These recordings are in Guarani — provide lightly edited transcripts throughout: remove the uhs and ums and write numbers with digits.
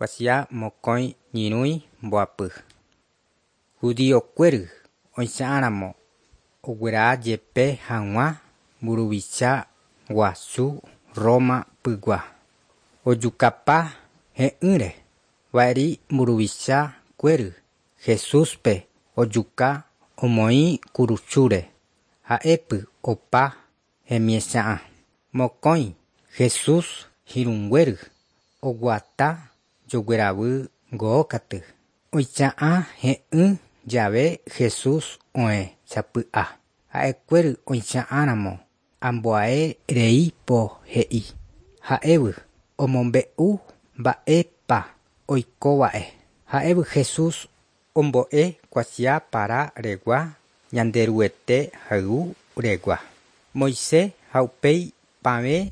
Kuatia mokõi ñyrũi mboapy. Judiokuéry oicha'ãramo oguerajepe hag̃ua mburuvicha guasu Roma pygua. Ojukapa he'ỹre va'eri mburuvicha kuéry Jesúspe ojuka omoĩ kurusúre ha'épy opa hemiecha'ã. Mokõi Jesús irũnguéry oguata jogueravy ngókaty. Oicha'ã he'ỹ jave Jesús oẽ sapy'a. Ha'ekuéry oicha'ãramo ambuae rei po he'i. Ha'évy omombe'u mba'épa oikova'e. Ha'évy Jesús ombo'e kuatia para regua Ñanderuete hay'u regua. Moisés ha upéi pavẽ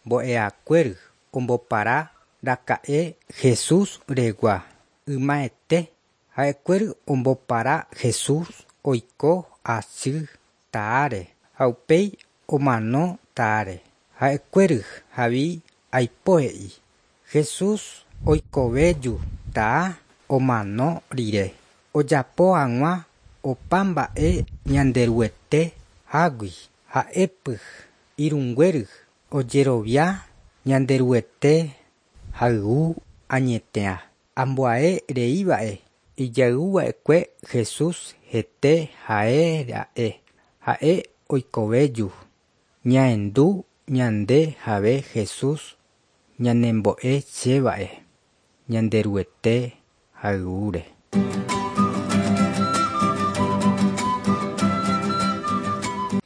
mbo'ehakuéry ombopara raka'e Jesús regua ymaete. Ha'ekuéry ombopara Jesús oiko asy taáre ha upéi omano taáre. Ha'ekuéry havi aipo he'i Jesús oikovéju taa omano rire ojapo hag̃ua opa mba'e Ñanderuete hágui. Ha'épy irũnguéry ojerovia Ñanderuete hay'u añeteha. Ambuae reíva'e ijayvuva'ekue Jesús hete ha'éra'e ha'e oikovéju. Ñahendu ñande jave Jesús ñanembo'e chéva'e Ñanderuete hay'úre.